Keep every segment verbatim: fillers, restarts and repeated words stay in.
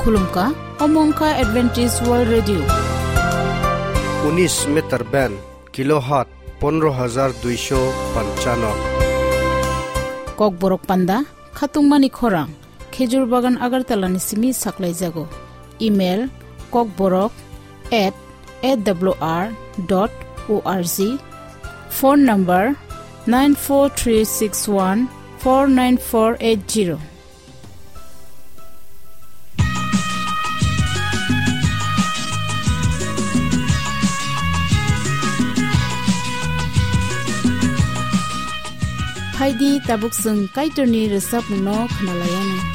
Khulumkha, omo wngkha Adventist World Radio. Unis meter band, kilohertz pondro hajar duisho panchano. Kokborok panda, khatungmani khorang, Khejur Bagan Agartala ni simi saklaijago. Email, kokborok at A W R dot O R G. Phone number, nine four three six one four nine four eight zero. Phaidi tabuk chwng Kaitorni rwchapmungno khwnalaianw.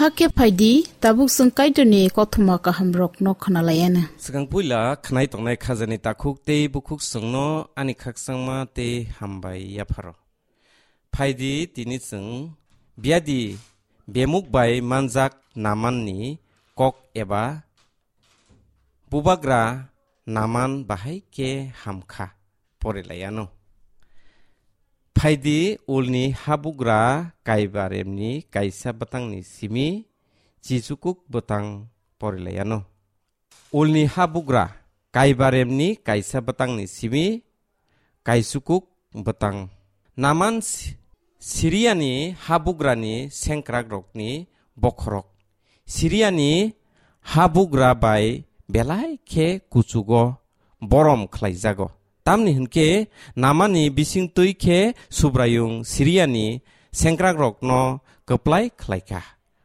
Hakhe phaidi, tabuk chwng Kaitorni kothoma kahamrokno khwnalaianw. Swkang puila khwnai tongnai khajani takhuk tei bukhuk chwngno ani khakchangma tei hambai yapharo. Phaidi tini chwng biadi bemuk bai manjak Namanni kok eba bubagra Naman bahai khe hamkha porilaiano. Phaidi ulni habugra kaibaremni kaisa bwtangni simi chichukuk bwtang porilaiano. Ulni habugra kaibaremni kaisa bwtangni simi kaisukuk bwtang. Naman Si-, Siriani habugrani sengkrakrokni bokhorok. Siriani habugra bai belai khe kuchugo borom khlaijago. Tamni hwnkhe Namani bisingtwi khe Subraiyung Siriani sengkrakrokno kwplai khlaikha.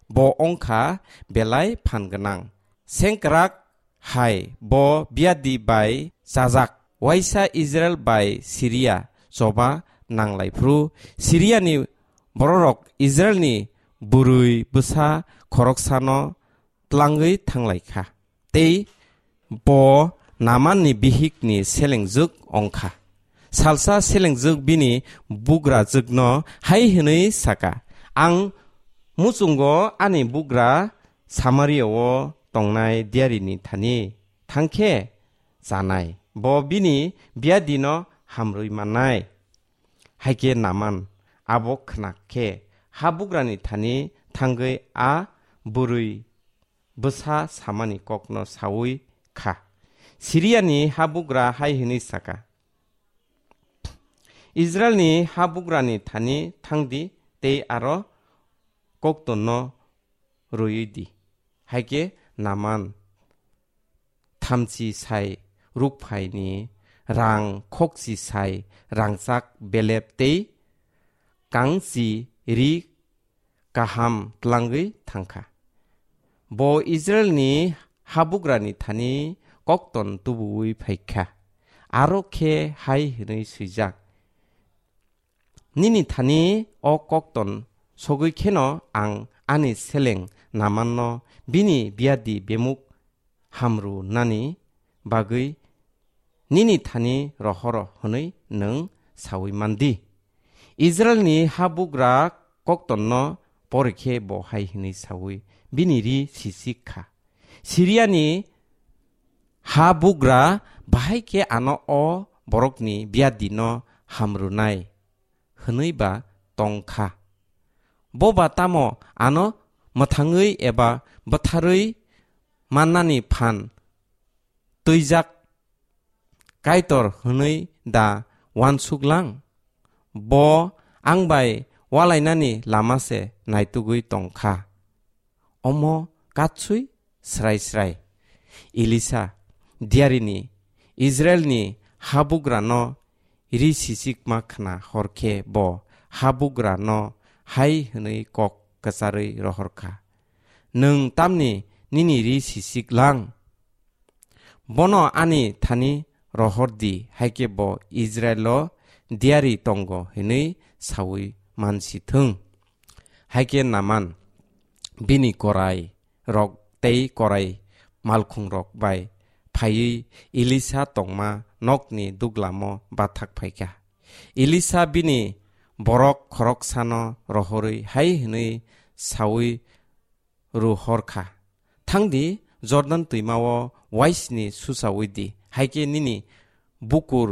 Bo wngkha belai phan gwnang. Sengkrak hai bo biadi bai chajak. Waisa Israil bai Siria choba nanglaiphru Siriani bororok Israilni bwrwi bwsa khoroksano tlangwi thanglaikha. Tei bo Namanni bihikni selengjwk wngkha. Salsa selengjwk bini bugrajwkno hai hwnwi saka, "Ang muchungo ani bugra Samaria-o tongnai diarini thani thangkhe chanai, bo bini biadino hamrwi mannai." Haikhe Naman abo khna khe habugrani thani thangwi a bwrwi bwsa samani kokno saui kha. Siriani habugra hai hwnwi saka, "Israilni habugrani thani thangdi tei aro koktonno rwui di." Haikhe Naman thamchi sai rukphaini rang khokchi sai rangchak belep tei kangchi ri kaham tlangwi thangkha. Bo Israilni habugrani thani kokton tubuwi phaikha. Aro khe hai hwnwi swijak, "Nini thani o kokton sogwi kheno ang ani seleng Namanno bini biyadi bemuk hamrwnani bagwi nini thani rohoro hwnwi nwng saui mandi." Israilni habugra koktonno porikhe bo hai hwnwi saui bini ri sisik kha, "Siriani habugra bahai khe ano o borokni biyadino hamrwnai hwnwi ba tong kha. Bo ba tamo ano mwthangwi eba bwtharwi mannani phan twijak Kaitor hwnwi da uansuk lang? Bo ang bai ualainani lama se naitugwi tong kha." Omo katswi srai srai Elisa diarini Israilni habugrano ri sisikma khna hor khe bo habugrano hai hwnwi kok kwcharwi rohor kha, "Nwng tamni nini ri sisik lang? Bono ani thani rohor di, haikhe bo Israilo diari tongo hwnwi saui mansi thung." Haikhe Naman bini korai rok tei korai malkhung rok bai phaiwi Elisa tongma nokni duglamo bathak phaikha. Elisa bini borok khoroksano rohorwi hai hwnwi saui rw hor kha, "Thangdi, Jordan twimao uaisni susaui di, haikhe nini bukur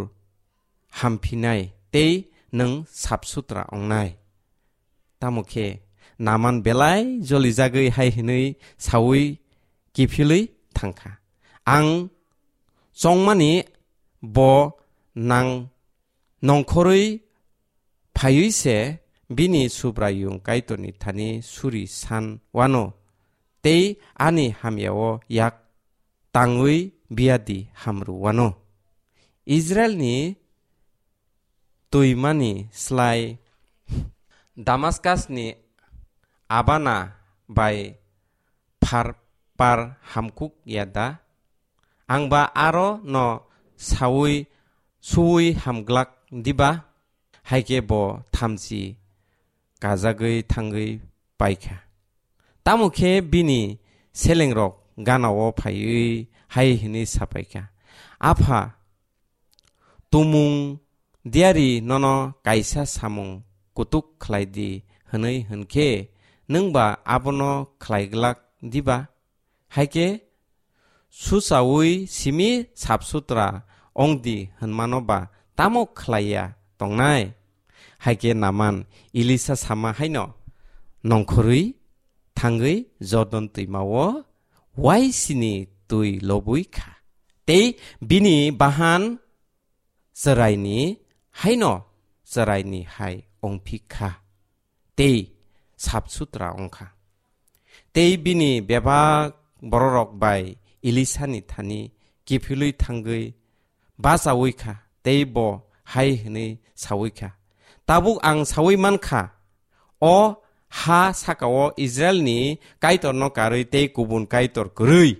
hamphinai tei nwng sap sutra ongnai." Tamo khe Naman belai jolijagwi hai hwnwi saui kiphilwi thang kha, "Ang chongmani bo nang nongkhorwi phaiwi se bini Subraiyung Kaitorni thani suri san wano tei ani hamyao yak tangwi biyadi hamrw wano." Israilni twimani slai Damaskasni Abana bai phar par hamkuk ya da? Ang ba aro no saui suui hamglak diba? Haikhe bo thamchi kajagwi thangwi paikha. Tamo khe bini selengrok ganao phaiwi hai hwnwi sapaikha, "Apha, tumung diari nono kaisa samung kutuk khlai di hwnwi hwn khe, nwng ba abono khlai glak diba? Haikhe susaui simi sap sutra ong di hwnmano ba tamo khlai ya tongnai?" Haikhe Naman Elisa sama haino nongkhorwi thangwi Jordan twimao uaisini twi lobwi kha. Tei bini bahan chwraini haino chwraini hai ongphi kha, tei sap sutra ong kha. Tei bini bebak bororok bai Elisani thani kiphilwi thangwi bachaui kha, tei bo hai hwnwi saui kha, "Tabuk ang saui man kha, o ha saka-o Israilni Kaitorno karwi tei kubun kaitor kwrwi.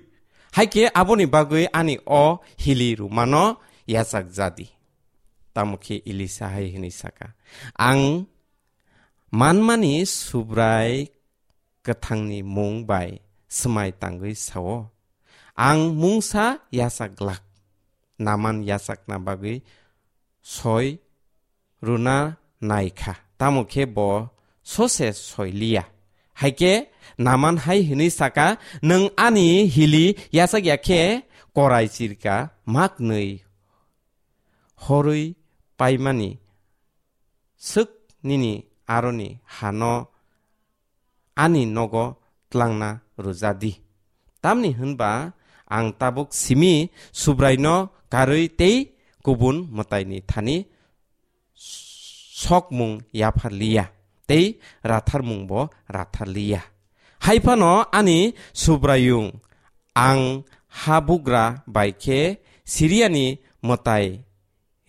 Hai khe aboni bagwi ani o hili rwmano yachak ja di." Tamo khe Elisa hai hwnwi saka, "Ang manmani Subrai kwthangni mung bai swmai tangwi sao, ang mungsa yachak glak." Naman yachakna bagwi soi rwna nai kha, tamo khe bo sose soi liya. Hai khe Naman hai hwnwi saka, "Nwng ani hili yachak ya khe korai chirka mak nwi horwi paimani swk nini aroni hano ani nogo tlangna rwja di. Tamni hwnba ang tabuk simi Subraino karwi tei kubun mwtaini thani sokmung yaphar liya, tei ratharmungbo rathar liya. Hai phano ani Subraiyung, ang habugra bai khe Siriani mwtai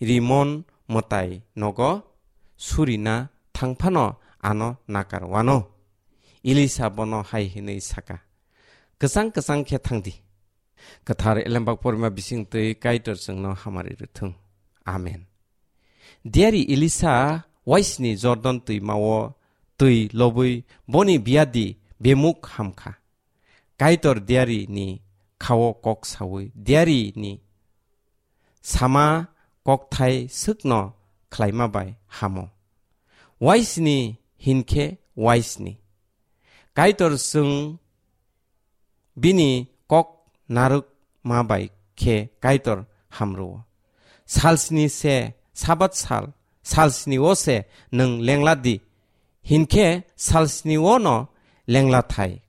Rimon mwtai nogo surina thang phano ano nakar wano. Elisa bono hai hwnwi saka, "Kwchang kwchang khe thang di." Kwthar Elembak porima bising twi Kaitor chwngno hamari rwthung. Amen. Diari Elisa waisni Jordan twimao twi lobwi boni biadi bemuk hamkha. Kaitor diarini khao kok saui diarini sama kokthai swkno khlaima bai hamo. Waisni hinkhe waisni. Kaitor chwng bini kok narwkma bai khe Kaitor hamrwo. Salsni se Sabat sal, salsni o se nwng lengla di, hinkhe salsni o no lengla thai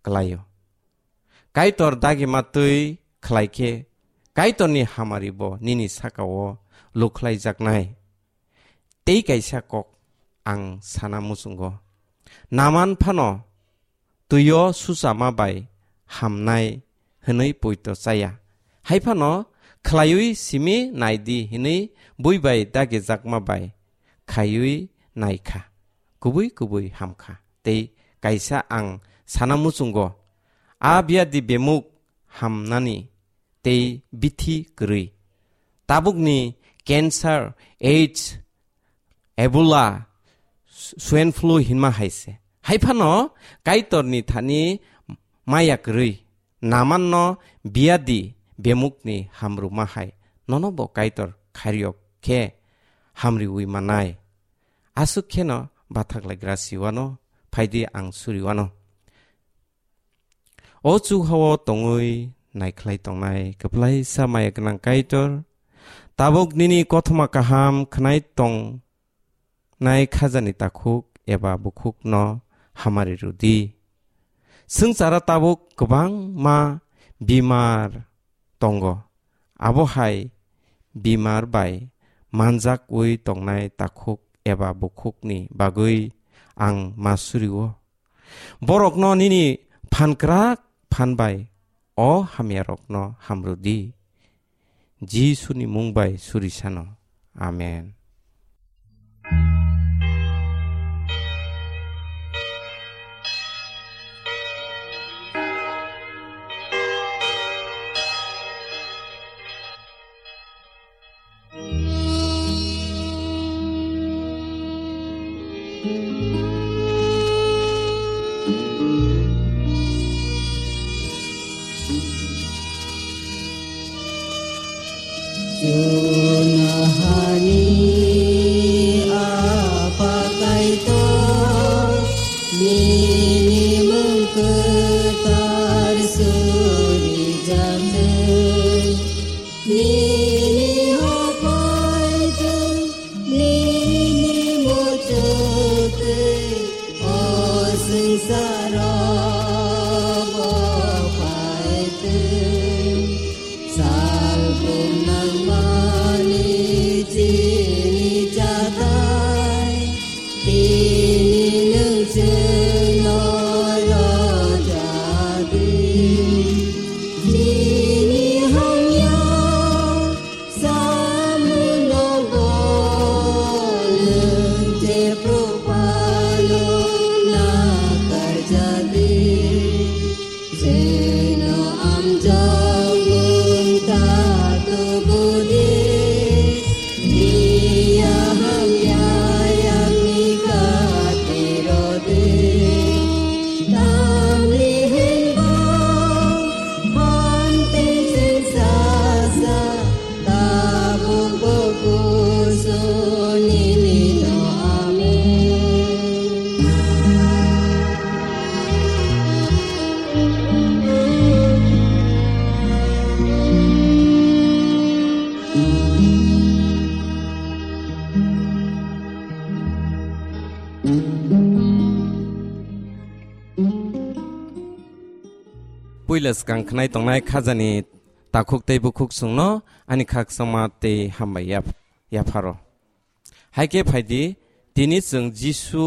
klaio. Kaitor dagima twi khlai khe Kaitorni hamari bo nini saka o lukhlaijaknai. Tei kaisa kok ang sana muchungo. Naman phano twio suchama bai hamnai hwnwi poito chaya. Hai phano khlaiwi simi nai di hwnwi bui bai dagijakma bai khaiwi nai kha. Kubui kubui ham kha. Tei kaisa ang sana muchungo. A biadi bemuk hamnani tei bithi kwrwi. Tabukni cancer, AIDS, Ebola, swine flu hinma hai se. Hai phano Kaitorni thani maya kwrwi, Namanno biadi bemukni hamrwma hai, nono bo Kaitor khairiyok khe hamriwi manai. Aswk kheno bathaklaigra siwano, phaidi ang suriwano. O chuhao tongwi naikhlai tongnai kwplaisa maya gwnang Kaitor, tabuk nini kothoma kaham khwnai tongnai khajani takhuk eba bukhukno hamari rwdi. Swngchara tabuk kwbangma bimar tongo, abo hai bimar bai manjakwi tongnai takhuk eba bukhukni bagwi ang ma surio. Borokno nini phankrak phan bai o hamyarokno hamrwdi. Jisuni mung bai suri sano. Amen. Chunahani Apha Kaitor, nini mung kwthar suri jathai. Nini hapai tei nini muchuk tei o swngcharo bo pai tei. Salbrum nangmani chini chatai. Tini nwng chwngno rwjadi, nini hamya samungo nwng Jephru phano nakarjadi. Chwngno amjokmung takhuk Puila swkang khnai tongnai khajani takhuk tei bukhuk chwngno ani khakchangma tei hambai yap-, yapharo. Hai khe phaidi, tini chwng Jisu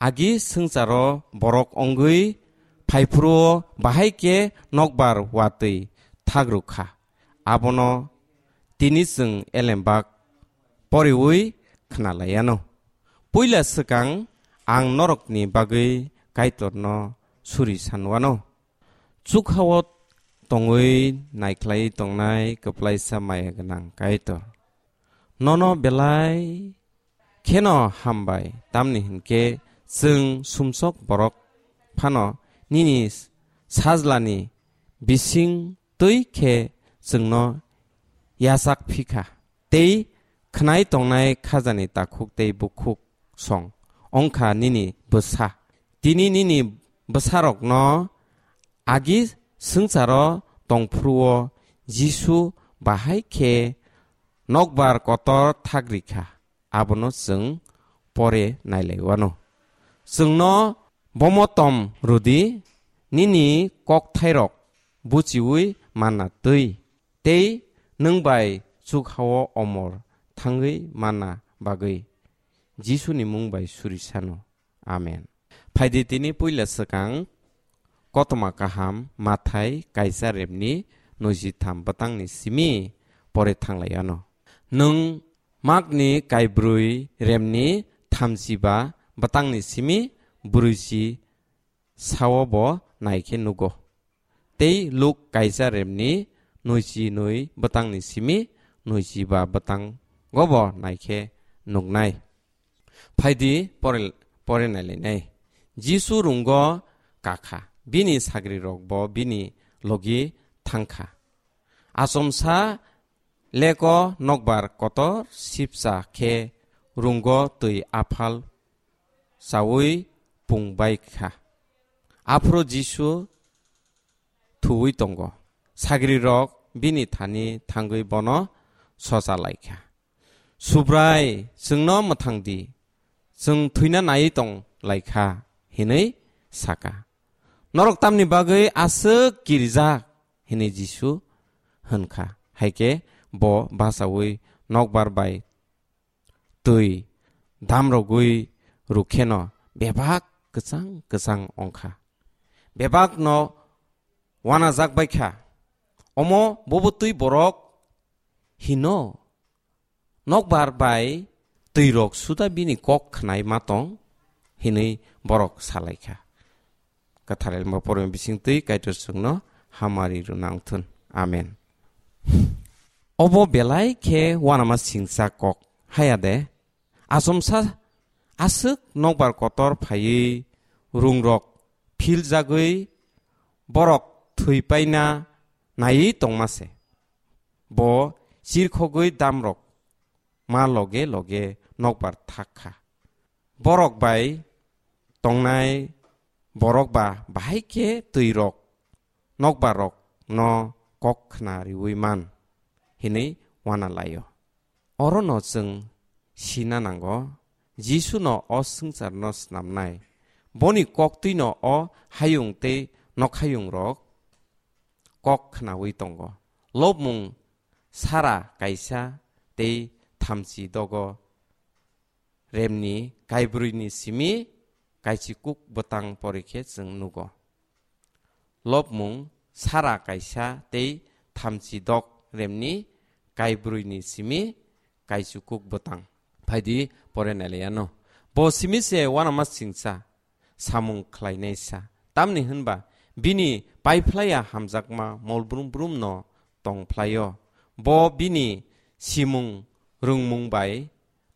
agi swngcharo borok wngwi phaiphuru-o bahai khe nokbar watwi thak rwkha. Abono tini chwng elembak poriwi khna lai anw. Puila swkang ang norokni bagwi Kaitorno suri sanwano. Chukha-o tongwi naikhlai tongnai kwplaisa maya gwnang Kaitor, nono belai kheno hambai, tamni hwn khe chwng sumsok borok phano nini sajlani bising twi khe chwngno yachak phi kha. Tei khnai tongnai khajani takhuk tei bukhuk song wng kha nini bwsa. Tini nini bwsarokno agi swngcharo tongphuru-o Jisu bahai khe nokbar kotor thak rikha, abono chwng pore nailaiwano. Chwngno bomotom rwdi, nini kokthairok buchiwi manna twi, tei nwng bai chukha-o omor thangwi manna bagwi. Jisuni mung bai suri sano. Amen. Phaidi tini puila swkang Kotoma Kaham Mathai kaisa remni nujitham bwtangni simi pore thanglai ano. Nwng Makni kaibrwi remni thamchiba bwtangni simi brwichi sao bo naikhe nugo. Tei Luk kaisa remni nwichi nwi bwtangni simi nwichiba bwtango bo naikhe nuknai. Phaidi pore, pore nailainai. Jisu rungo kakha, bini sagrirok bo bini logi thangkha. Achomsa leko nokbar kotor sipsa khe rungo twi aphal chaui pung bai kha. Aphuru Jisu thuwi tongo. Sagrirok bini thani thangwi bono socha lai kha. "Subrai, chwngno mwthang di, chwng thwina nai tong lai kha," hinwi saka. "Norok tamni bagwi aswk kirijak?" hinwi Jisu hwn kha. Hai khe bo bachaui nokbar bai twi damrogwi rwkheno bebak kwchang kwchang wng kha. Bebakno wanajak bai kha. Omo bobo twi borok hino, nokbar bai twirok suda bini kok khnai ma tong, hinwi borok sa lai kha. Kwthar Elma Poroni bising twi Kaitor chwngno hamari rwna wng thun. Amen. Obo belai khe uanama singcha kok, haya de? Achomsa aswk nokbar kotor phaiwi rungrok philjagwi borok thwi paina naiwi tongma se. Bo chirkhogwi damrok ma loge loge nokbar thak kha. Borok bai tongnai borok ba bahai khe twirok nokbarrokno kok khna riui man, hinwi uana lai-o. Orono chwng sina nango, Jisuno o swngcharno snamnai. Boni koktwino o hayung tei nokhayungrok kok khnaui tongo. Lobmung sara kaisa tei thamchi dogo remni kaibrwini simi kaichikuk bwtang porikhe chwng nugo. Lobmung sara kaisa tei thamchi dok remni kaibrwini simi kaichikuk bwtang. Phaidi pore nailaiano. Bo simi se uanama singcha samung khlainaisa. Tamni hwnba bini paiphlaiya hamjakma molbrum brumno tongphlaio. Bo bini simung rwngmung bai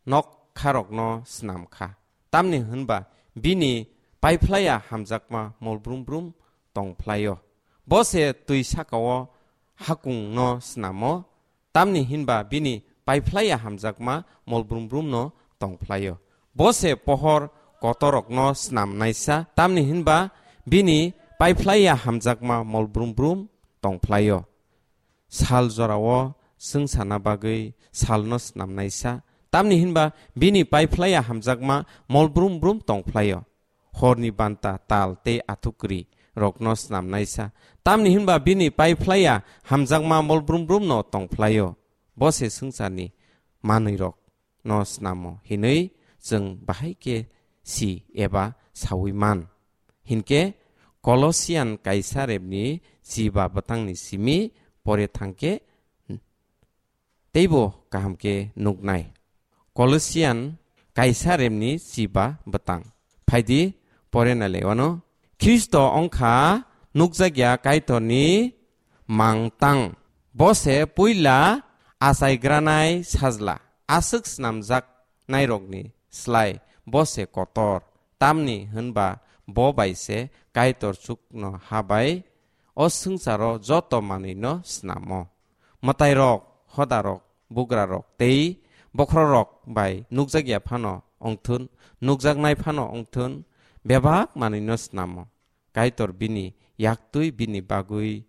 nokkharokno snam kha. Tamni hwnba bini paiphlaiya hamjakma molbrum brum tongphlaio. Bo se twi sakao hakungno snamo, tamni hinba bini paiphlaiya hamjakma molbrum brumno tongphlaio. Bo se pohor kotorokno snamnaisa, tamni hinba bini paiphlaiya hamjakma molbrum brum tongphlaio. Sal jorao swng sana bagwi salno snamnaisa, tamni hinba bini paiphlaiya hamjakma molbrum brum tongphlaio. Horni banta, tal tei athukri rokno snamnaisa. Tamni hinba bini paiphlaiya hamjakma mol brum brumno tongphlaio. Bo se swngcharni manwirokno snamo hinwi chwng bahai khe si eba saui man. Hinkhe Kolosian kaisa rebni chiba bwtangni simi pore thangkhe teibo kaham khe nuknai. Kolosian kaisa remni chiba bwtang. Phaidi pore nale wano. Khristo ongkha nukjakya Kaitorni mangtang. Bo se puila achaigranai sajla. Aswk snamjaknairokni slai bo se kotor. Tamni hwnba bo bai se Kaitor chukno habai o swngcharo joto manwino snamo. Mwtairok, hodarok, bugrarok tei bokhororok bai nukjakya phano wngthun, nukjaknai phano wngthun, bebak manwino snamo. Kaitor bini yaktwi bini bagwi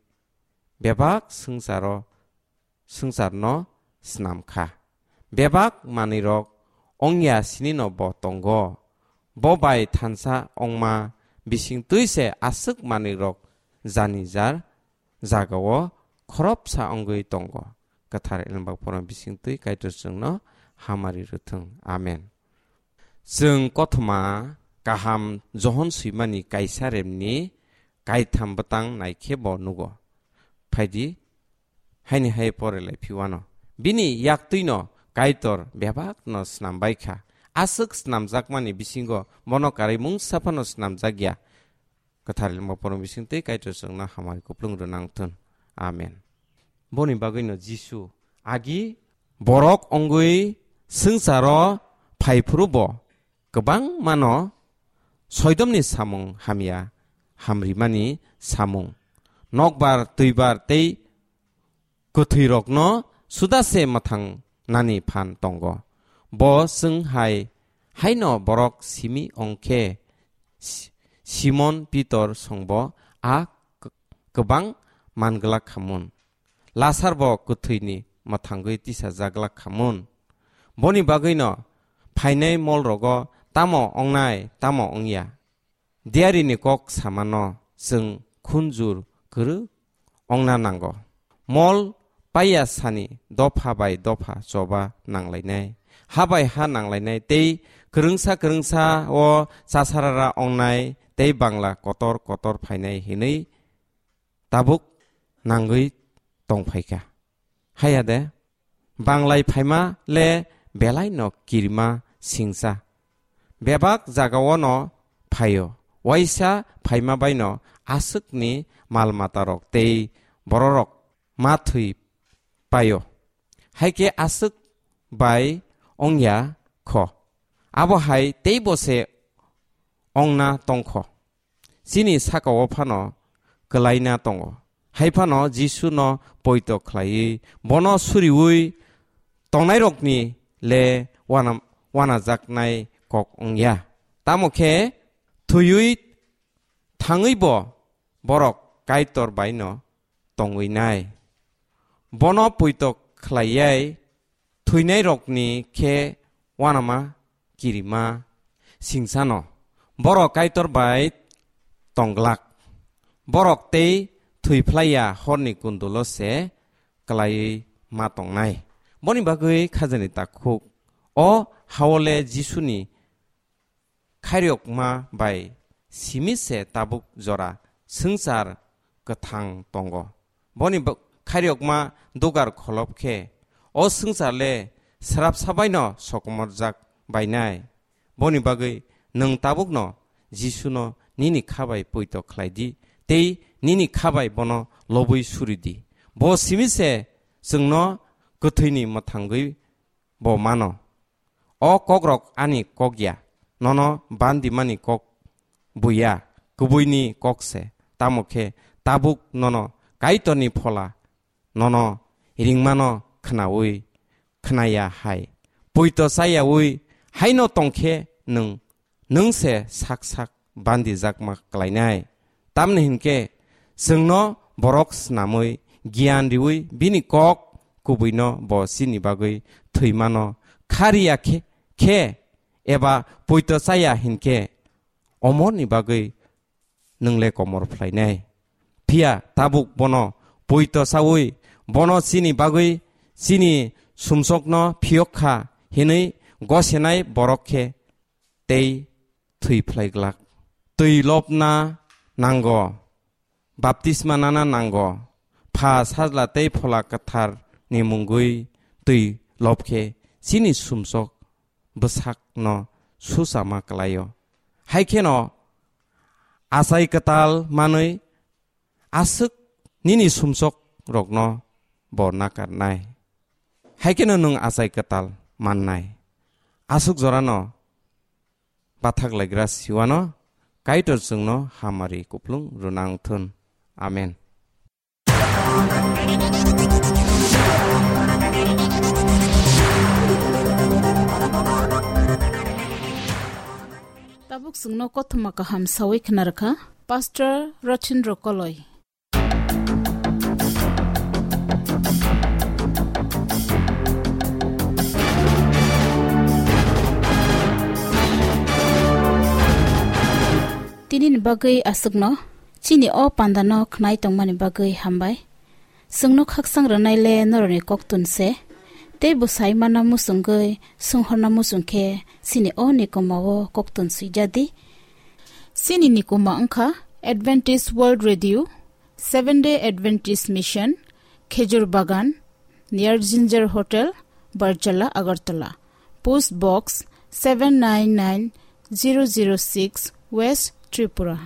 bebak swngcharo, swngcharno snam kha. Bebak manwirok ongya sinino bo tongo. Bo bai thansa ongma bisingtwi se aswk manwirok jani jar jagao khoroksa wngwi tongo. Kwthar Elembak Poro bisingtwi Kaitor chwngno hamari rwthwng. Amen. Chwng kothoma kaham Johon swimani kaisa remni kaitham bwtang naikhe bo nugo. Phaidi, haini hai pore lai phiwano. Bini yaktwino Kaitor bebakno snam bai kha. Aswk snamjakmani bisingo bono karwi mungsa phano snamjakya. Kwthar Elembak Poro bisingtwi Kaitor chwngno hamari kuplung rwnang thun. Amen. Boni bagwino Jisu agi borok wngwi swngcharo phaiphuru bo kwbangmano soidomni samung hamya hamrimani samung, nokbar, twibar tei kwthwirokno suda se mwthang nani phan tongo. Bo chwng hai haino borok simi ongkhe Si-, Simon Pitor songbo a k-, kwbang manglak khamun. Lasar bo kwthwini mwthangwi tisajaglak khamun. Boni bagwino phainai molrogo tamo ongnai, tamo ongya. Diarini kok samano chwng khunjur kwrwk ongna nango. Mol paiya sani dopha bai dopha choba nanglainai, ha bai ha nanglainai tei kwrwngsa kwrwngsa o chasarara ongnai tei bangla kotor kotor phainai hinwi tabuk nangwi tongphaikha. Haya de, banglai phaima le belai no kirima singsa. Bebak jagao no phaio, waisa phaima bai no aswkni mal matarok tei bororok ma thwi paio. Hai khe aswk bai ongya kho. Abo hai teibo se ongna tongkho. Chini sakao phano kwlaina tongo. Hai phano Jisuno poito khlaiwi bono suriui tongnairokni le wana-, wanajaknai kok wngya. Tamo khe thwiwi thangwibo borok Kaitor baino tongwi nai. Bono poito khlaiyai thwinairokni khe wanama kirima singsano. Borok Kaitor bai tongglak. Borok tei thwiphlaiya horni kundulo se kwlaiwi ma tongnai. Boni bagwi khajani takhuk. O hao le Jisuni khairokma bai simi se tabuk jora swngchar kwthang tongo. Boni bo-, khairokma dugar kholop khe o swngchar le srapsa baino sokomorjak bainai. Boni bagwi nwng tabukno Jisuno nini kha bai poito khlai di tei nini kha bai bono lobwi suri di. Bo simi se chwngno kwthwini mwthangwi bo mano. O kokrok ani kok ya, nono bandimani kok buya, kubuini kok se. Tamo khe tabuk nono Kaitorni phola nono ringmano khnaui khnaya hai. Poito chayaui haino tongkhe nwng nwng se sak sak bandijakma klainai. Tamni hinkhe chwngno borok snamwi giyan riui bini kok kubuino bo chini bagwi thwimano khariya khe, khe eba poito chaya hinkhe omorni bagwi nwng le komor phlainai. Phiya tabuk bono poito saui, bono chini bagwi chini sumsokno phiyok kha hinwi gosenai borok khe tei thwi phlai glak. Twi lobna nango, baptisma nana nango, Pha, Sajla tei Phola Kwtharni mungwi twi lob khe chini sumsok bwsakno suchama kwlaio. Hai kheno achai kwtal manwi aswk nini sumsok rokno bo nakarnai. Hai kheno nwng achai kwtal mannai. Aswk jorano bathak laigra siwano Kaitor chwngno hamari kuplung rwna wngthun. Amen. Tabuk chwngno kothoma kaham sawi khnarkha Pastor Rothindro Koloi. Tini ni bagwi aswkno, chini o panda no khnai tongmani bagwi hambai. Chwngno khaksang rwnai le norokni koktun se, tei bwsai mana muchungwi swnghorna muchung khe chini o nikoma o koktun swijadi. Chini nikoma wngkha Adventist World Radio, Seventh Day Adventist Mission, Khejur Bagan, near Ginger Hotel, Barjala, Agartala. Post Box seven nine nine zero zero six, West Tripura.